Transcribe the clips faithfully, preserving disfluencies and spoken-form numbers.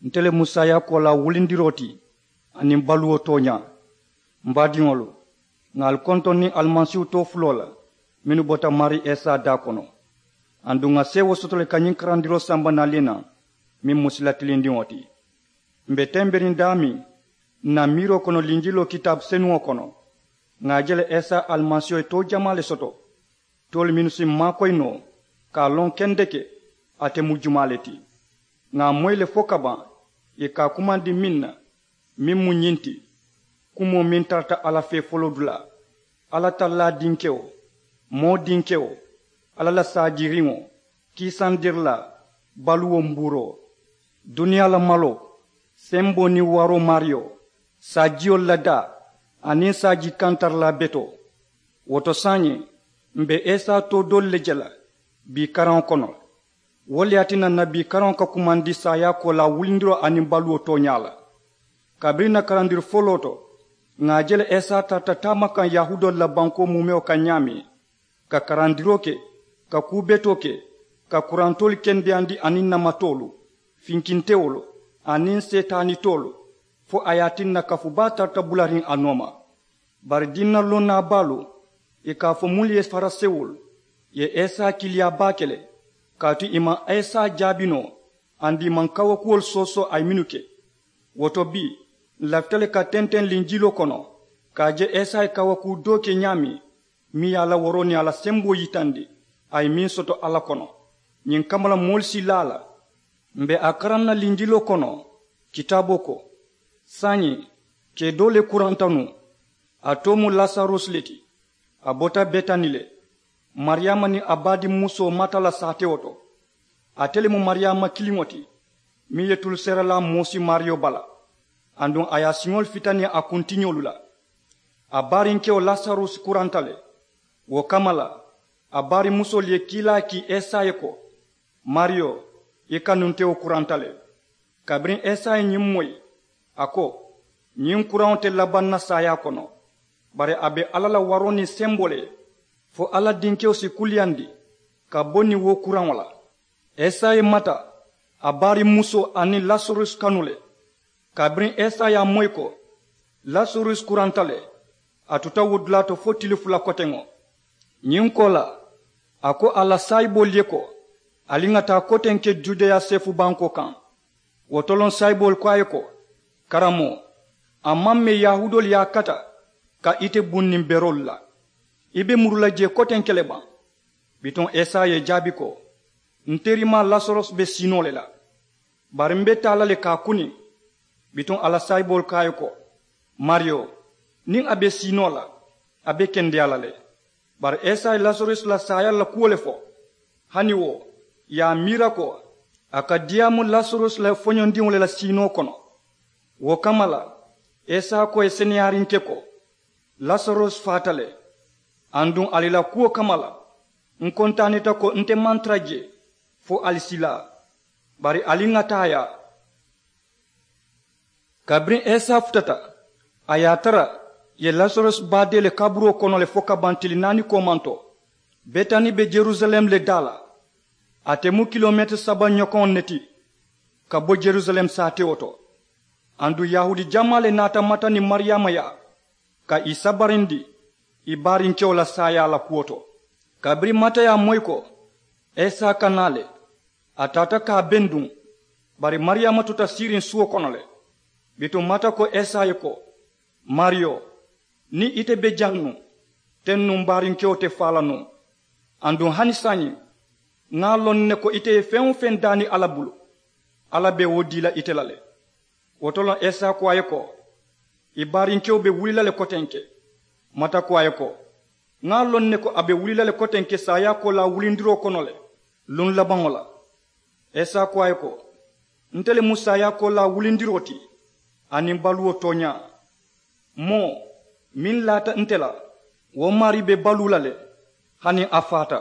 Nte le mu saayaakoo la wulindiroo ti aniŋ baluwo tooñaa. M baadiŋolu, ŋà ali kontoŋ niŋ alimasiihu too fuloo la mennu bota maarii isa daa kono. Aduŋ ŋà seewoo soto le ka ñiŋ karandiroo samba naali naŋ, meŋ mu sila tilindiŋo ti. M be temberiŋ daameŋ ǹ na miiroo kono linjiloo kitaabu senuŋo kono, ŋà a je le isa alimasiiho ye too jamaa le soto, toolu mennu si m maakoyi noo ka a loŋ kendeke ate mu jumaa le ti. Ŋà a moyi le fo ka baŋ ì ka a kumandi meŋ na, meŋ mu ñiŋ ti: kumoo meŋ tarata alla fee foloo dulaa, alla tallaa dinkewo, moo dinkewo, alla la saajiiriŋo, kiisandirilaa, baluwo mbuuroo, duniyaa la maloo, semboo niŋ waroo maariyo, saajiyolu la daa, aniŋ saaji kantarilaa betoo. Wo to saayiŋ, m be isa too doolu le je la bii karaŋo kono le. Wo le ye a tinna ǹ na bii karaŋo ka kumandi saayaakoo la wulindiroo aniŋ baluwo tooñaa la. Kabiriŋ ǹ na karandiri foloo to, ŋà a je le isa tarata taamakaŋ yahuudoolu la bankoo muumewo kaŋ ñaameŋ, ka karandiroo ke, ka kuu betoo ke, ka kurantoolu kendeyandi aniŋ namatoolu, finkintewolu, aniŋ seetaanitoolu, fo a ye a tinna kafu baa tarata bulariŋ a nooma. Bari diina lonnaa baalu, ì ka a fo mennu ye farisewolu, ì ye isa kiiliyaa baake le, kaatu ì maŋ isa jaabi noo, aduŋ ì maŋ kawakuwolu soosoo a ye mennu ke. Wo to bii, ǹ lafita le ka tenteŋ linjiloo kono ka a je isa ye kawakuu doo ke ñaameŋ, meŋ ye a la waroo niŋ a la semboo yitandi, a ye meŋ soto alla kono. Ñiŋ kamma la moolu si laa a la. M be a karaŋ na linjiloo kono, kitaaboo ko, saayiŋ, kee doo le kuranta nuŋ. A too mu lasarusi le ti. A bota betani le, mariyaama niŋ a baadiŋ musoo mata la saatewo to. Ate le mu mariyaama kiliŋo ti, meŋ ye tulu seerelaa moosi maariyo bala, aduŋ a ye a siŋolu fitani a kuntiñolu la. A baarinkewo lasarusi kuranta le. Wo kamma la, a baarimusoolu ye kiilaa kii isa ye ko, maariyo, i kanuntewo kuranta le. Kabiriŋ isa ye ñiŋ moyi, a ko, ñiŋ kuraŋo te labaŋ na saayaa kono, bari a be alla la waroo niŋ semboo le ye, fo alla dinkewo si kuliyandi ka bo niŋ wo kuraŋo la. Isa ye mata, a baarimusoo aniŋ lasarusi kanu le. Kabiriŋ isa ye a moyi ko lasarusi kuranta le, a tuta wo dulaa to fo tili fula koteŋo. Ñiŋ koolaa, a ko a la saayiboolu ye ko, ali ŋà taa kotenke judeya seefu bankoo kaŋ. Wo to loŋ saayiboolu ko a ye ko, karamoo, a maŋ mee yahuudoolu ye a kata ka ite buŋ niŋ beroolu la? I be muru la jee kotenke le baŋ? Bituŋ isa ye i jaabi ko, n terimaa lasarusi be sii noo le la, bari m be taa la le ka a kuni. Bituŋ a la saayiboolu ko a ye ko, maariyo, niŋ a be sii noo la, a be kendeyaa la le. Bari isa ye lasarusi la saayaa la kuwo le fo. Hani wo, ì ye a miira ko a ka diyaamu lasarusi la foñondiŋo le la siinoo kono. Wo kamma la, isa ko ì seneyaarinke ko, lasarusi faata le. Aduŋ ali la kuwo kamma la, n kontaanita ko nte maŋ tara jee fo ali si laa. Bari ali ŋà taa yaa. Kabiriŋ isa futata, a ye a tara ì ye lasarusi baadee le kaburoo kono le fo ka baŋ tili naani koomanto. Betani be yerusalem le daa la. Ate mu kilomeetiri saba ñokoŋo ne ti ka bo yerusalem saatewo to. Aduŋ yahuudi jamaa le naata mata niŋ mariyaama yaa ka ì sabarindi ì baarinkewo la saayaa la kuwo to. Kabiriŋ mata ye a moyi ko isa ka naa le, a taata ka a benduŋ. Bari mariyaama tuta siiriŋ suwo kono le. Bituŋ mata ko isa ye ko, maariyo, niŋ ite be jaŋ nuŋ, teŋ nuŋ m baarinkewo te faa la nuŋ. Aduŋ hani saayiŋ, ŋa a loŋ ne ko ite ye feŋ-wo-feŋ daani alla bulu, alla be wo dii la ite la le. Wo to loŋ isa ko a ye ko, i baarinkewo be wuli la le kotenke. Mata ko a ye ko, ŋa a loŋ ne ko a be wuli la le kotenke saayaakoo la wulindiroo kono le, luŋ labaŋo la. Isa ko a ye ko, nte le mu saayaakoo la wulindiroo ti aniŋ baluwo tooñaa. Moo meŋ laata nte la, wo maarii be baluu la le, hani a faata.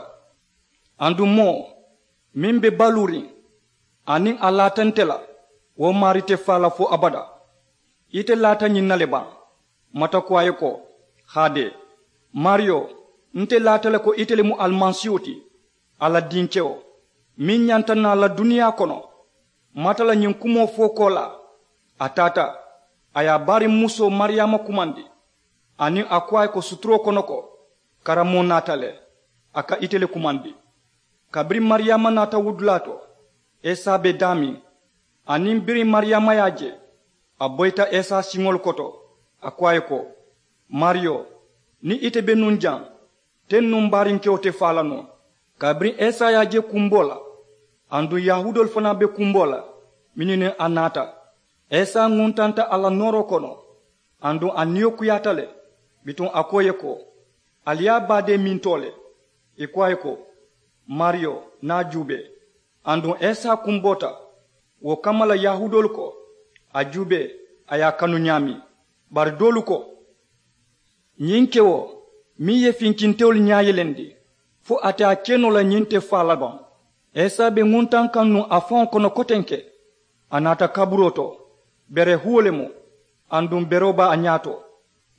Aduŋ moo meŋ be baluuriŋ aniŋ a laata nte la, wo maarii te faa la fo abadaa. Ite laata ñiŋ na le baŋ? Mata ko a ye ko, haadee, maariyo, nte laata le ko ite le mu alimasiihu ti, alla dinkewo, meŋ ñanta naa la duniyaa kono. Mata la ñiŋ kumoo fo koolaa, a taata, a ye a baariŋ musoo mariyaama kumandi, aniŋ a ko a ye ko suturoo kono ko, karamoo naata le, a ka ite le kumandi. Kabiriŋ mariyaama naata wudulaa to, isa be daameŋ, aniŋ biriŋ mariyaama ye a je, a boyita isa siŋolu koto, a ko a ye ko, maariyo, niŋ ite be nuŋ jaŋ, teŋ nuŋ baariŋ kewo te faa la noo. Kabiriŋ isa ye a je kumboo la, aduŋ yahuudoolu fanaa be kumboo la mennu niŋ a naata, isa ŋuntanta a la nooroo kono, aduŋ a niyo kuyaata le. Bituŋ a ko ì ye ko, ali ye a baadee mintoo le. Ì ko a ye ko, maariyo, niŋ a juubee. Aduŋ isa kumboota. Wo kamma la yahuudoolu ko, a juubee, a ye a kanu ñaameŋ. Bari doolu ko, ñiŋ kewo meŋ ye finkintewolu ñaa yelendi, fo a te a ke noo la ñiŋ te faa la baŋ? Isa be ŋuntaŋ kaŋ nuŋ a faŋo kono kotenke. A naata kaburoo to, bere huwo le mu, aduŋ beroo be a ñaa to.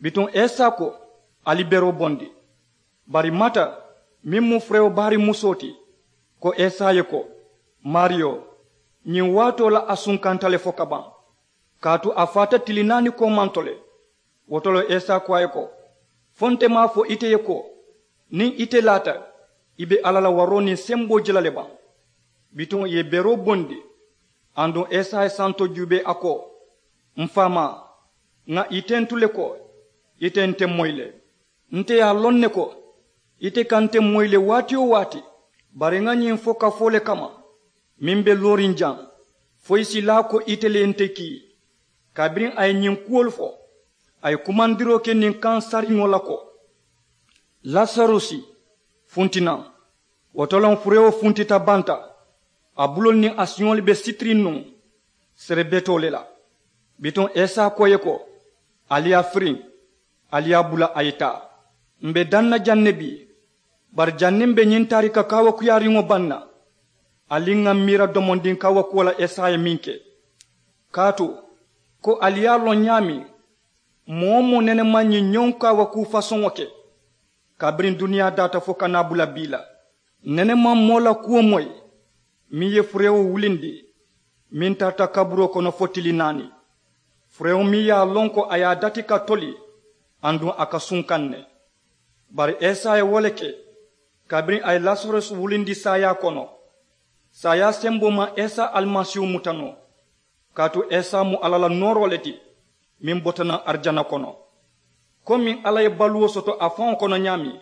Bituŋ isa ko, ali beroo bondi. Bari mata, meŋ mu furewo baariŋ musoo ti, ko isa ye ko, maariyo, ñiŋ waatoo la a sunkanta le fo ka baŋ, kaatu a faata tili naani koomanto le. Wo to le isa ko a ye ko, fo nte maŋ a fo ite ye ko, niŋ ite laata, i be alla la waroo niŋ semboo je la le baŋ? Bituŋ ì ye beroo bondi. Aduŋ isa ye santo juubee a ko, m faamaa, ŋà ì tentu le ko, ite nte moyi le. Nte ye a loŋ ne ko, ite ka nte moyi le waati-wo-waati. Bari ŋà ñiŋ fo kafoo le kamma, meŋ be looriŋ jaŋ, fo ì si laa ko ite le ye nte kii. Kabiriŋ a ye ñiŋ kuwolu fo, a ye kumandiroo ke niŋ kaŋ sariŋo la ko, lasarusi, funti naŋ. Wo to loŋ furewo funtita banta, a buloolu niŋ a siŋolu be sitiriŋ nuŋ serebetoo le la. Bituŋ isa ko ì ye ko, ali ye a firiŋ, ali ye a bula a ye taa. M be daŋ na jaŋ ne bii, bari janniŋ m be ñiŋ taarika kaawakuyaariŋo baŋ na, ali ŋà m miira domondiŋ kaawakuwo la isa ye meŋ ke. Kaatu, ko ali ye a loŋ ñaameŋ, moo-wo-moo nene maŋ ñiŋ ñoŋ kaawakuu fasoŋo ke, kabiriŋ duniyaa daata fo ka naa bula bii la. Nene maŋ moo la kuwo moyi, meŋ ye furewo wulindi, meŋ tarata kaburoo kono fo tili naani. Furewo meŋ ye a loŋ ko a ye a dati ka toli, aduŋ a ka sunkaŋ ne. Bari isa ye wo le ke, kabiriŋ a ye lasarusi wulindi saayaa kono. Saayaa semboo maŋ isa alimasiihu muta noo. Kaatu isa mu alla la nooroo le ti, meŋ bota naŋ arijana kono. Komiŋ alla ye baluwo soto a faŋo kono ñaameŋ,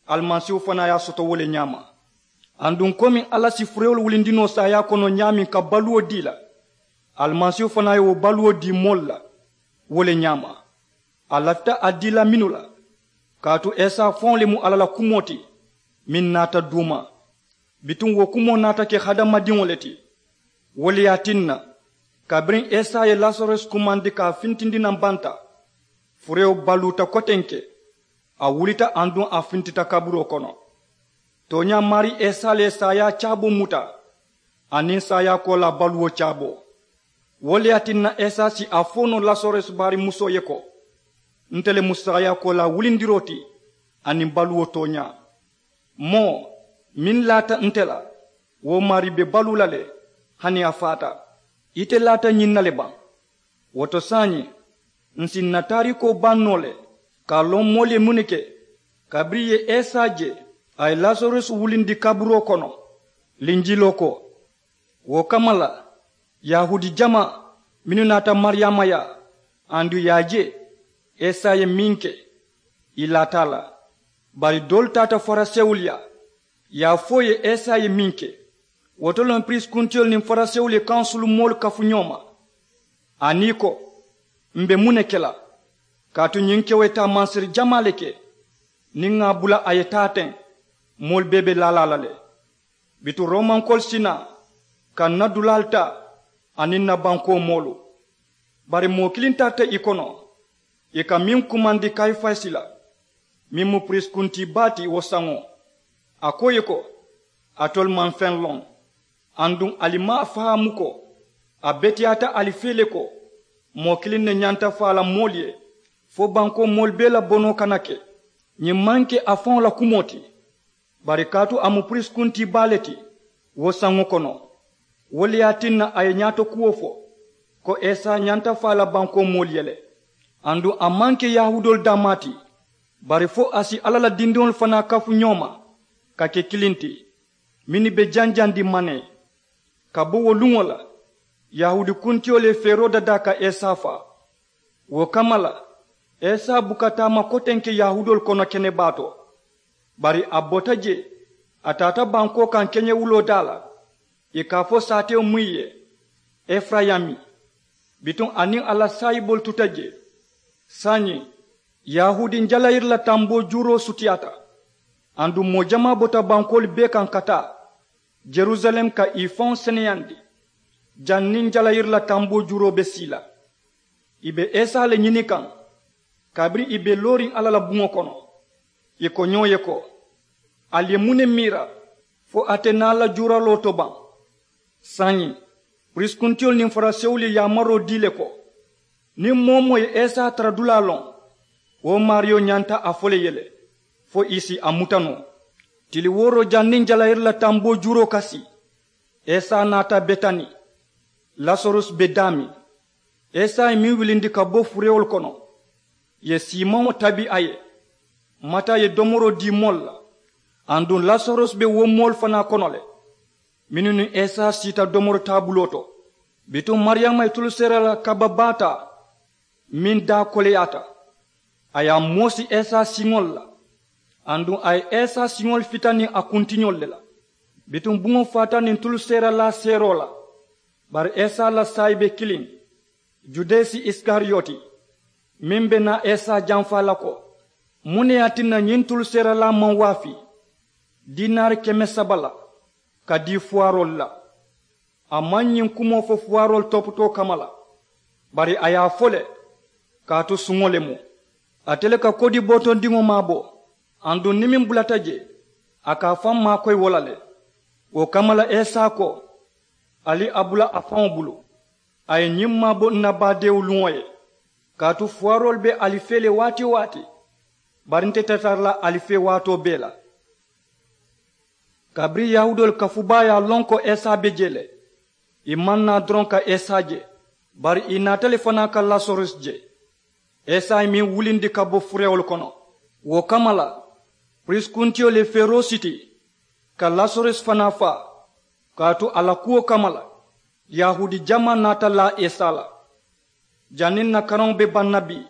alimasiihu fanaa ye a soto wo le ñaama. Aduŋ komiŋ alla si furewolu wulindi noo saayaa kono ñaameŋ ka baluwo dii la, alimasiihu fanaa ye wo baluwo dii moolu la wo le ñaama. A lafita a dii la mennu la, kaatu isa faŋo le mu alla la kumoo ti, meŋ naata duuma. Bituŋ wo kumoo naata ke hadamadiŋo le ti. Wo le ye a tinna, kabiriŋ isa ye lasarusi kumandi ka a fintindi naŋ banta, furewo baluuta kotenke, a wulita aduŋ a fintita kaburoo kono. Tooñaa maarii isa le ye saayaa caaboo muta, aniŋ saayaa koolaa baluwo caaboo. Wo le ye a tinna isa si a fo noo lasarusi baariŋ musoo ye ko, nte le mu saayaa koolaa wulindiroo ti, aniŋ baluwo tooñaa. Moo meŋ laata nte la, wo maarii be baluu la le, hani a faata. Ite laata ñiŋ na le baŋ? Wo to saayiŋ, ǹ si ǹ na taariikoo baŋ noo le, ka a loŋ moolu ye muŋ ne ke kabiriŋ ì ye isa je, a ye lasarusi wulindi kaburoo kono. Linjiloo ko, wo kamma la, yahuudi jamaa mennu naata mariyaama yaa, aduŋ ì ye a je isa ye meŋ ke, ì laata a la. Bari doolu taata farisewolu yaa, ì ye a fo ì ye isa ye meŋ ke. Wo to loŋ piriisi kuntiyolu niŋ farisewolu ye kansulu moolu kafu ñoo ma, aniŋ ì ko, m be muŋ ne ke la? Kaatu ñiŋ kewo ye taa mansiri jamaa le ke. Niŋ ŋà a bula a ye taa teŋ, moolu bee be laa la a la le. Bituŋ romankoolu si naa ka ǹ na dulaalu taa, aniŋ ǹ na bankoo moolu. Bari moo kiliŋ tarata ì kono, ì ka meŋ kumandi kayifasi la, meŋ mu piriisi kuntii baa ti wo saŋo. A ko ì ye ko, alitolu maŋ feŋ loŋ, aduŋ ali maŋ a fahaamu ko a beteyaata ali fee le ko moo kiliŋ ne ñanta faa la moolu ye, fo bankoo moolu bee la bonoo kana ke. Ñiŋ maŋ ke a faŋo la kumoo ti, bari kaatu a mu piriisi kuntii baa le ti wo saŋo kono. Wo le ye a tinna a ye ñaato kuwo fo ko isa ñanta faa la bankoo moolu ye le. Aduŋ a maŋ ke yahuudoolu daamaa ti, bari fo a si alla la dindiŋolu fanaa kafu ñoo ma ka ke kiliŋ ti, mennu be janjandi manee. Ka bo wo luŋo la, yahuudi kuntiyolu ye feeroo dadaa ka isa faa. Wo kamma la, isa buka taama kotenke yahuudoolu kono kenebaa to. Bari a bota jee, a taata bankoo kaŋ keñewuloo daa la, ì ka a fo saatewo muŋ ye, efurayimi. Bituŋ a niŋ a la saayiboolu tuta jee. Saayiŋ, yahuudi jalayiri la tamboo juuroo sutiyaata. Aduŋ moo jamaa bota bankoolu bee kaŋ ka taa yerusaleemu ka ì faŋo seneyandi. Janniŋ jalayiri la tamboo juuroo be sii la, ì be isa le ñini kaŋ. Kabiriŋ ì be looriŋ alla la buŋo kono, ì ko ñoo ye ko, ali ye muŋ ne miira fo a te naa la juuraloo to baŋ? Saayiŋ, piriisi kuntiyolu niŋ farisewolu ye yaamaroo dii le ko, niŋ moo-wo-moo ye isa tara dulaa loŋ, wo maariyo ñanta a fo le ye le fo ì si a muta noo. Tili wooroo janniŋ jalayiri la tamboo juuroo ka sii, isa naata betani. Lasarusi be daameŋ. Isa ye meŋ wilindi ka bo furewolu kono, ì ye siimaŋo tabi a ye. Mata ye domoroo dii moolu la. Aduŋ lasarusi be wo moolu fanaa kono le, mennu niŋ isa siita domori taabuloo to. Bituŋ mariyama ye tulu seera la kaba baa taa meŋ daa koleyaata. A ye a moosi isa siŋolu la. Aduŋ a ye isa siŋolu fita niŋ a kuntiñolu le la. Bituŋ buŋo faata niŋ tulu seeralaa seeroo la. Bari isa la saayibe kiliŋ, judasi isikariyoti, meŋ be naa isa janfaa la ko, muŋ ne ye a tinna ñiŋ tulu seeralaa maŋ waafi dinaari keme saba la ka dii fuwaaroolu la? A maŋ ñiŋ kumoo fo fuwaaroolu toputoo kamma la, bari a ye a fo le kaatu suŋo le mu. Ate le ka kodi bootondiŋo maabo. Aduŋ niŋ meŋ bulata jee, a ka a faŋ maakoyi wo la le. Wo kamma la isa ko, ali a bula a faŋo bulu. A ye ñiŋ maabo ǹ na baadeewu luŋo ye. Kaatu fuwaaroolu be ali fee le waati-wo-waati, bari nte te tara la ali fee waatoo bee la. Kabiriŋ yahuudoolu kafubaa ye a loŋ ko isa be jee le, ì maŋ naa doroŋ ka isa je, bari ì naata le fanaa ka lasarusi je. Isa ye meŋ wulindi ka bo furewolu kono. Wo kamma la, piriisi kuntiyolu ye feeroo siti ka lasarusi fanaa faa. Kaatu a la kuwo kamma la, yahuudi jamaa naata laa isa la. Janniŋ ǹ na karaŋo be baŋ na bii,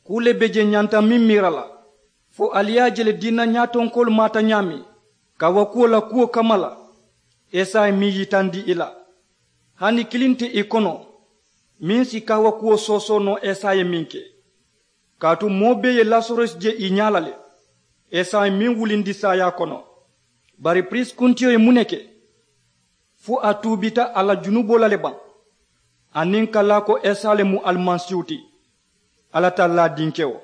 kuu le be jee ǹ ñanta meŋ miira la, fo ali ye a je le diina ñaatonkoolu maata ñaameŋ kaawakuwo la kuwo kamma la. Isa ye meŋ yitandi ì la, hani kiliŋ te ì kono meŋ si kaawakuwo soosoo noo isa ye meŋ ke. Kaatu moo bee ye lasarusi je ì ñaa la le. Isa ye meŋ wulindi saayaa kono. Bari piriisi kuntiyo ye muŋ ne ke? Fo a tuubita a la junuboo la le baŋ, aniŋ ka laa ko isa le mu alimansiihu ti, alla tallaa dinkewo,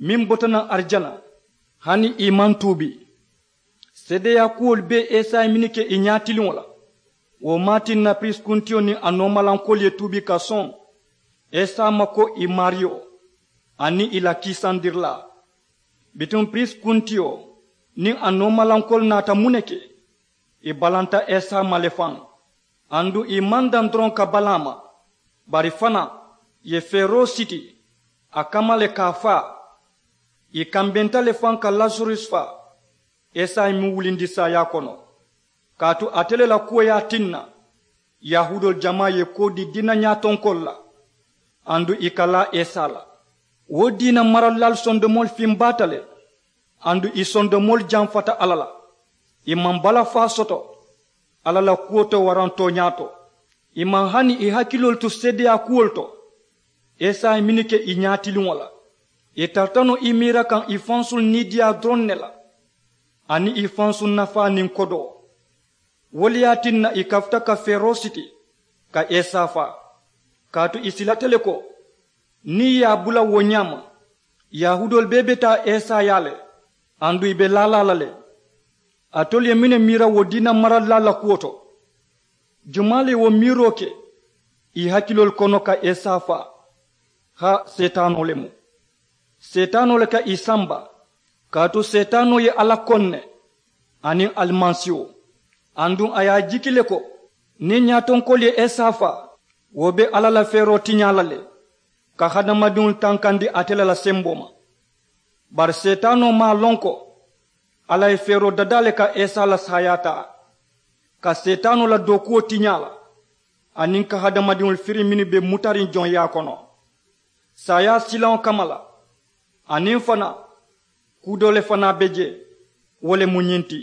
meŋ bota naŋ arijana, hani ì maŋ tuubi? Seedeyaa kuwolu bee isa ye mennu ke ì ñaatiliŋo la, wo maa tinna piriisi kuntiyo niŋ a noomalankoolu ye tuubi ka soŋ isa ma ko ì maariyo aniŋ ì la kiisandirilaa. Bituŋ piriisi kuntiyo niŋ a noomalankoolu naata muŋ ne ke? Ì balanta isa ma le faŋ. Aduŋ ì maŋ daŋ doroŋ ka balaa ma, bari fanaa ì ye feeroo siti a kamma le ka a faa. Ì kambenta le faŋ ka lasarusi faa. Isa ye meŋ wulindi saayaa kono, kaatu ate le la kuwo ye a tinna yahuudoolu jamaa ye koo dii diina ñaatonkoolu la, aduŋ ì ka laa isa la. Wo diina maralilaalu sondomoolu fimbaata le, aduŋ ì sondomoolu janfata alla la. Ì maŋ balafaa soto alla la kuwo to waraŋ tooñaa to. Ì maŋ hani ì hakiloolu tu seedeyaa kuwolu to. Isa ye mennu ke ì ñaatiliŋo la, ì tarata noo ì miira kaŋ ì fansuŋ niidiyaa doroŋ ne la, aniŋ ì fansuŋ nafaa niŋ kodoo. Wo le ye a tinna ì kafuta ka feeroo siti ka isa faa, kaatu ì silata le ko niŋ ì ye a bula wo ñaama, yahuudoolu bee be taa isa yaa le, aduŋ ì be laalaa la le. Alitolu ye mennu miira wo diina maralilaalu la kuwo to, jumaa le ye wo miiroo ke ì hakiloolu kono ka isa faa? Haa, seetaanoo le mu. Seetaanoo le ka ì samba, kaatu seetaanoo ye alla koŋ ne aniŋ alimansiiwo. Aduŋ a ye a jiki le ko Niŋ ñaatonkoolu ye isa faa, wo be alla la feeroo tiñaa la le, ka hadamadiŋolu tankandi ate le la semboo ma. Bari seetaanoo maŋ a loŋ ko alla ye feeroo dadaa le ka isa la saayaa taa, ka seetaanoo la dookuwo tiñaa la, aniŋ ka hadamadiŋolu firi mennu be mutariŋ joŋyaa kono. Saayaa silaŋo kamma la, aniŋ fanaa kuu doo le fanaa be jee. Wo le mu ñiŋ ti,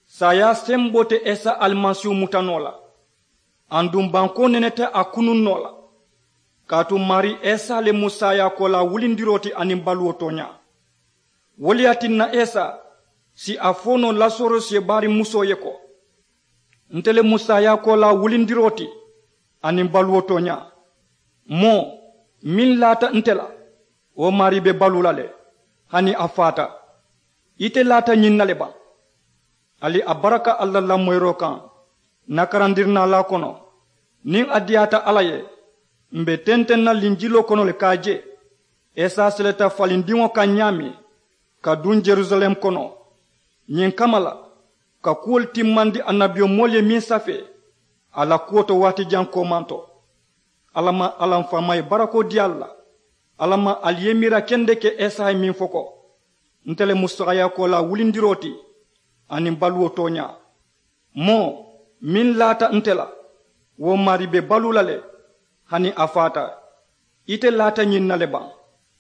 saayaa semboo te isa alimasiihu muta noo la. Aduŋ bankoo nene te a kunuŋ noo la. Kaatu maarii isa le mu saayaakoolaa wulindiroo ti aniŋ baluwo tooñaa. Wo le ye a tinna isa si a fo noo lasorosi ye baariŋ musoo ye ko, nte le mu saayaakoolaa wulindiroo ti aniŋ baluwo tooñaa. Moo meŋ laata nte la, wo maarii be baluu la le, hani a faata. Ite laata ñiŋ na le baŋ? Ali a baraka alla la lamoyiroo kaŋ. Ǹ na karandirinaalaa kono, niŋ a diyaata alla ye, m̀ be tenteŋ na linjiloo kono le ka a je isa seleta falindiŋo kaŋ ñaameŋ ka duŋ jerusalem kono. Ñiŋ kamma la, ka kuwolu timmandi annabiyomoolu ye meŋ safee a la kuwo to waati jaŋ koomaŋ to. Alla maŋ alla m faamaa ye barakoo dii ali la. Alla maŋ ali ye miira kendeke isa ye meŋ fo ko, nte le mu saayaakoolaa wulindiroo ti aniŋ baluwo tooñaa. Moo meŋ laata nte la, wo maarii be baluu la le, hani a faata. Ite laata ñiŋ na le baŋ?